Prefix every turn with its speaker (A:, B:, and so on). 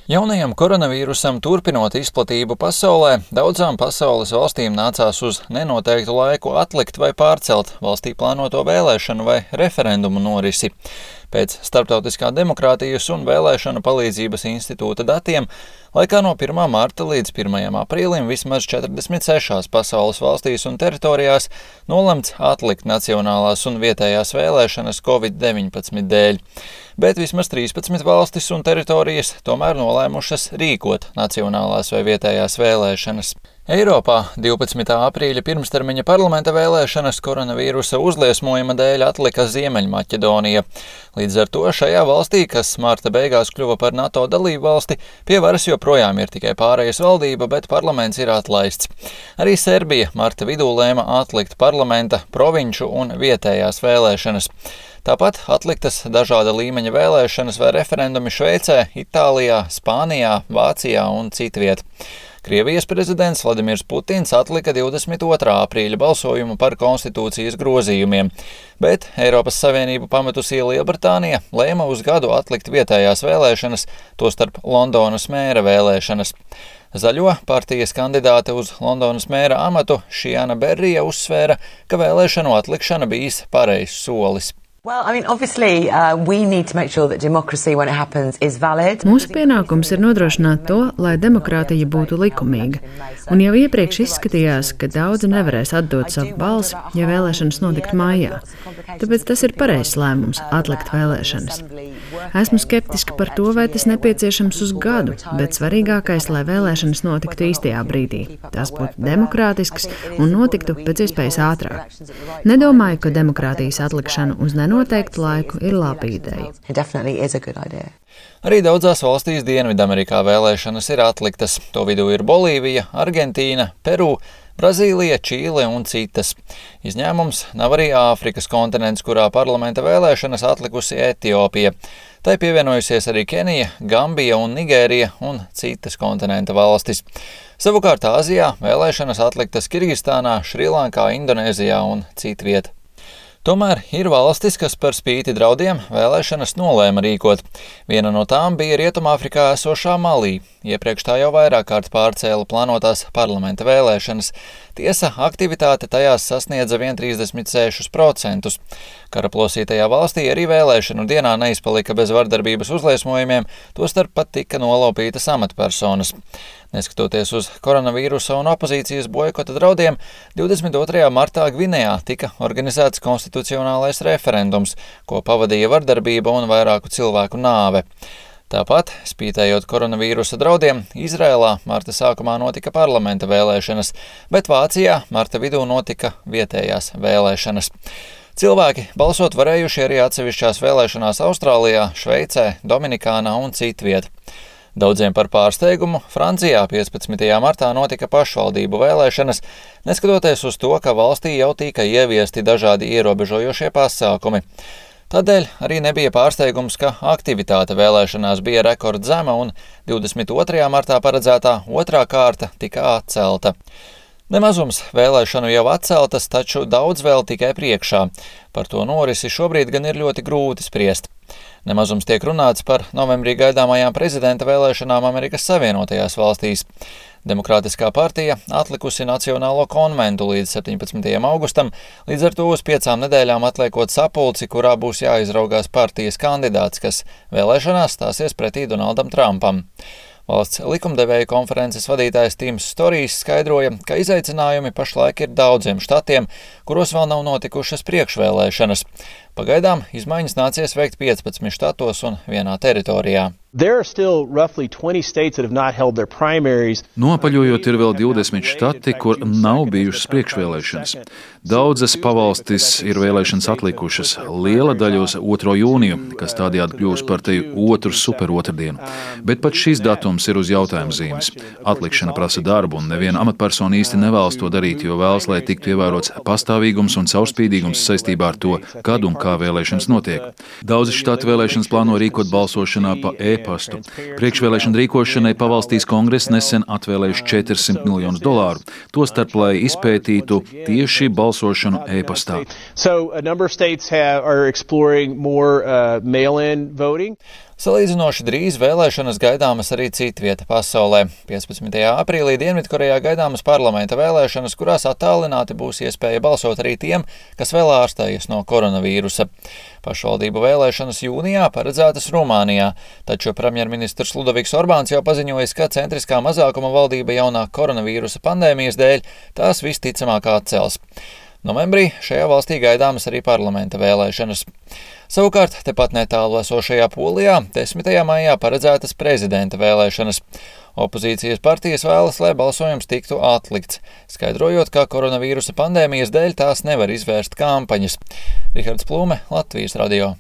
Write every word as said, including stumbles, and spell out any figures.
A: Jaunajam koronavīrusam turpinot izplatību pasaulē, daudzām pasaules valstīm nācās uz nenoteiktu laiku atlikt vai pārcelt valstī plānoto vēlēšanu vai referendumu norisi. Pēc Starptautiskā demokrātijas un vēlēšanu palīdzības institūta datiem, laikā no pirmā marta līdz pirmajam aprīlim vismaz četrdesmit sešās pasaules valstīs un teritorijās nolemts atlikt nacionālās un vietējās vēlēšanas covid deviņpadsmit dēļ. Bet vismaz trīspadsmit valstis un teritorijas tomēr nolēmušas rīkot nacionālās vai vietējās vēlēšanas. Eiropā divpadsmitā aprīļa pirmstermiņa parlamenta vēlēšanas koronavīrusa uzliesmojuma dēļ atlika Ziemeļmaķedonija. Līdz ar to šajā valstī, kas marta beigās kļuva par NATO dalību valsti, pie varas joprojām ir tikai pārējas valdība, bet parlaments ir atlaists. Arī Serbija marta vidū lēma atlikt parlamenta, provinču un vietējās vēlēšanas. Tāpat atliktas dažāda līmeņa vēlēšanas vai referendumi Šveicē, Itālijā, Spānijā, Vācijā un citviet. Krievijas prezidents Vladimirs Putins atlika divdesmit otrā aprīļa balsojumu par konstitūcijas grozījumiem, bet Eiropas Savienību pametusī Lielbritānija lēma uz gadu atlikt vietējās vēlēšanas, tostarp Londonas mēra vēlēšanas. Zaļo partijas kandidāte uz Londonas mēra amatu Šiana Berrija uzsvēra, ka vēlēšanu atlikšana bijis pareizs solis.
B: Well, I mean, obviously, uh, we need to make sure that democracy, when it happens, is valid.
C: Mūsu pienākums ir nodrošināt to, lai demokrātija būtu likumīga. Un jau iepriekš izskatījās, ka daudzi nevarēs atdot savu balsi, ja vēlēšanas notiktu mājā. Tāpēc tas ir pareizs lēmums atlikt vēlēšanas. Esmu skeptiska par to, vai tas nepieciešams uz gadu, bet svarīgākais, lai vēlēšanas notiktu īstajā brīdī. Tās būtu demokrātiskas un notiktu pēc iespējas ātrāk. Nedomāju, ka demokrātijas atlikšana uz nenoteiktu noteiktu laiku ir laba ideja.
A: Arī daudzās valstīs Dienvidamerikā vēlēšanas ir atliktas. To vidū ir Bolīvija, Argentīna, Peru, Brazīlija, Čīle un citas. Izņēmums nav arī Āfrikas kontinents, kurā parlamenta vēlēšanas atlikusi Etiopija. Tai pievienojusies arī Kenija, Gambija un Nigērija un citas kontinenta valstis. Savukārt Āzijā vēlēšanas atliktas Kirgistānā, Šrilankā, Indonēzijā un citviet. Tomēr ir valstis, kas par spīti draudiem vēlēšanas nolēma rīkot. Viena no tām bija Rietumāfrikā esošā Malī. Iepriekš tā jau vairāk kārt pārcēla plānotās parlamenta vēlēšanas. Tiesa, aktivitāte tajās sasniedza vien trīsdesmit sešus procentus. Karaplosītajā valstī arī vēlēšanu dienā neizpalika bez vardarbības uzliesmojumiem, tostarp pat tika nolaupītas amatpersonas. Neskatoties uz koronavīrusa un opozīcijas boikota draudiem, divdesmit otrajā martā Gvinejā tika organizēts konstitucionālais referendums, ko pavadīja vardarbība un vairāku cilvēku nāve. Tāpat, spītējot koronavīrusa draudiem, Izrēlā marta sākumā notika parlamenta vēlēšanas, bet Vācijā marta vidū notika vietējās vēlēšanas. Cilvēki balsot varējuši arī atsevišķās vēlēšanās Austrālijā, Šveicē, Dominikānā un citviet. Daudziem par pārsteigumu Francijā piecpadsmitajā martā notika pašvaldību vēlēšanas, neskatoties uz to, ka valstī jau tika ieviesti dažādi ierobežojošie pasākumi. Tādēļ arī nebija pārsteigums, ka aktivitāte vēlēšanās bija rekordzema un divdesmit otrajā martā paredzētā otrā kārta tika atcelta. Nemazums vēlēšanu jau atceltas, taču daudz vēl tikai priekšā. Par to norisi šobrīd gan ir ļoti grūti spriest. Nemazums tiek runāts par novembrī gaidāmajām prezidenta vēlēšanām Amerikas Savienotajās valstīs. Demokrātiskā partija atlikusi Nacionālo konventu līdz septiņpadsmitajam augustam, līdz ar to uz piecām nedēļām atliekot sapulci, kurā būs jāizraugās partijas kandidāts, kas vēlēšanās stāsies pretī Donaldam Trumpam. Valsts likumdevēja konferences vadītājs Tims Storijs skaidroja, ka izaicinājumi pašlaik ir daudziem štatiem, kuros vēl nav notikušas priekšvēlēšanas. Pagaidām izmaiņas nācies veikt piecpadsmit štatos un vienā teritorijā.
D: Noapaļojot, ir vēl divdesmit štati, kur nav bijušas priekšvēlēšanas. Daudzas pavalstis ir vēlēšanas atlikušas, liela daļa uz otro jūniju, kas tādējādi kļūs par teju otru superotrdienu. Bet pat šis datums ir uz jautājuma zīmes. Atlikšana prasa darbu, un neviena amatpersona īsti nevēlas to darīt, jo vēlas, lai tiktu ievērots pastāvīgums un caurspīdīgums saistībā ar to, kad un kā vēlēšanas notiek. Daudzi štati vēlēšanas plāno rīkot balsošanā pa e-pastu. Priekšvēlēšana rīkošanai pavalstīs kongress nesen atvēlējuši četrsimt miljonus dolāru, tostarp, lai izpētītu tieši balsošanu e-pastā.
A: Salīdzinoši drīz vēlēšanas gaidāmas arī citvieta pasaulē. piecpadsmitajā aprīlī Dienvidkorejā gaidāmas parlamenta vēlēšanas, kurās attālināti būs iespēja balsot arī tiem, kas vēl ārstējas no koronavīrusa. Pašvaldību vēlēšanas jūnijā paredzētas Rumānijā, taču premjerministrs Ludoviks Orbāns jau paziņojis, ka centriskā mazākuma valdība jaunā koronavīrusa pandēmijas dēļ tās visticamāk atcels. Novembrī šajā valstī gaidāmas arī parlamenta vēlēšanas. Savukārt, tepat netālu esošajā Polijā desmitajā maijā paredzētas prezidenta vēlēšanas. Opozīcijas partijas vēlas, lai balsojums tiktu atlikts, skaidrojot, ka koronavīrusa pandēmijas dēļ tās nevar izvērst kampaņas. Rihards Plūme, Latvijas radio.